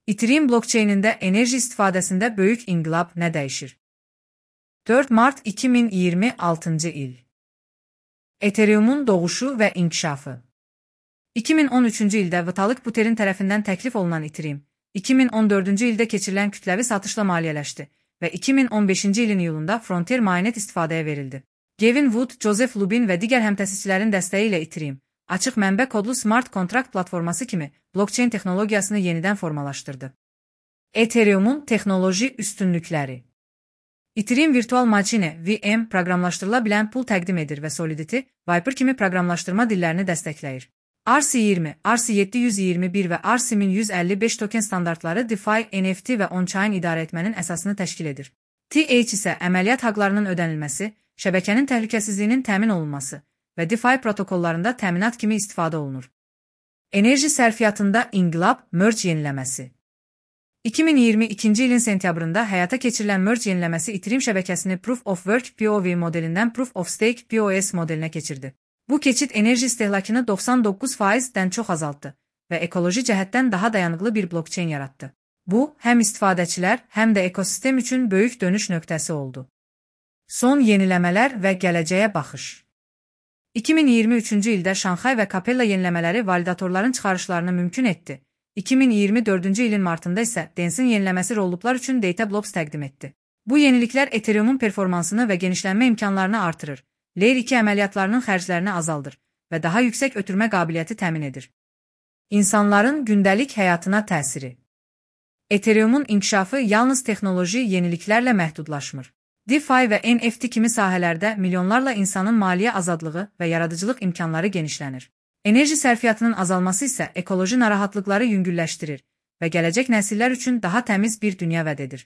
Ethereum blockchain'ində enerji istifadəsində böyük inqilab nə dəyişir? 4 mart 2026-cı il. Ethereum'un doğuşu və inkişafı. 2013-cü ildə Vitalik Buterin tərəfindən təklif olunan Ethereum, 2014-cü ildə keçirilən kütləvi satışla maliyyələşdi və 2015-ci ilin iyulunda Frontier Mainnet istifadəyə verildi. Gavin Wood, Joseph Lubin və digər həmtəsisçilərin dəstəyi ilə Ethereum, açıq mənbə kodlu smart kontrakt platforması kimi blockchain texnologiyasını yenidən formalaşdırdı. Ethereum'un texnoloji üstünlükləri. Ethereum virtual machine (VM) proqramlaşdırıla bilən pul təqdim edir və Solidity, Viper kimi proqramlaşdırma dillərini dəstəkləyir. RC20, RC721 və RC1155 token standartları DeFi, NFT və on-chain idarə etmənin əsasını təşkil edir. TH isə əməliyyat haqlarının ödənilməsi, şəbəkənin təhlükəsizliyinin təmin olunması və DeFi protokollarında təminat kimi istifadə olunur. Enerji sərfiyyatında inqilab, merge yeniləməsi. 2022-ci ilin sentyabrında həyata keçirilən merge yeniləməsi Ethereum şəbəkəsini Proof of Work (POW) modelindən Proof of Stake (POS) modelinə keçirdi. Bu keçid enerji istehlakını 99%-dən çox azaltdı və ekoloji cəhətdən daha dayanıqlı bir blockchain yaratdı. Bu, həm istifadəçilər, həm də ekosistem üçün böyük dönüş nöqtəsi oldu. Son yeniləmələr və gələcəyə baxış. 2023-cü ildə Şanxay və Capella yeniləmələri validatorların çıxarışlarını mümkün etdi. 2024-cü ilin martında isə Densin yeniləməsi rolluplar üçün Data Blobs təqdim etdi. Bu yeniliklər Ethereum'un performansını və genişlənmə imkanlarını artırır, Layer 2 əməliyyatlarının xərclərini azaldır və daha yüksək ötürmə qabiliyyəti təmin edir. İnsanların gündəlik həyatına təsiri. Ethereum'un inkişafı yalnız texnoloji yeniliklərlə məhdudlaşmır. DeFi və NFT kimi sahələrdə milyonlarla insanın maliyyə azadlığı və yaradıcılıq imkanları genişlənir. Enerji sərfiyyatının azalması isə ekoloji narahatlıqları yüngülləşdirir və gələcək nəsillər üçün daha təmiz bir dünya vəd edir.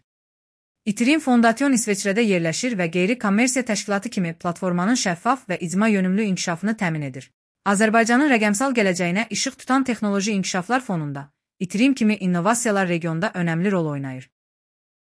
Ethereum Fondation İsveçrədə yerləşir və qeyri-kommersiya təşkilatı kimi platformanın şəffaf və icma yönümlü inkişafını təmin edir. Azərbaycanın rəqəmsal gələcəyinə işıq tutan texnoloji inkişaflar fonunda Ethereum kimi innovasiyalar regionda önəmli rol oynayır.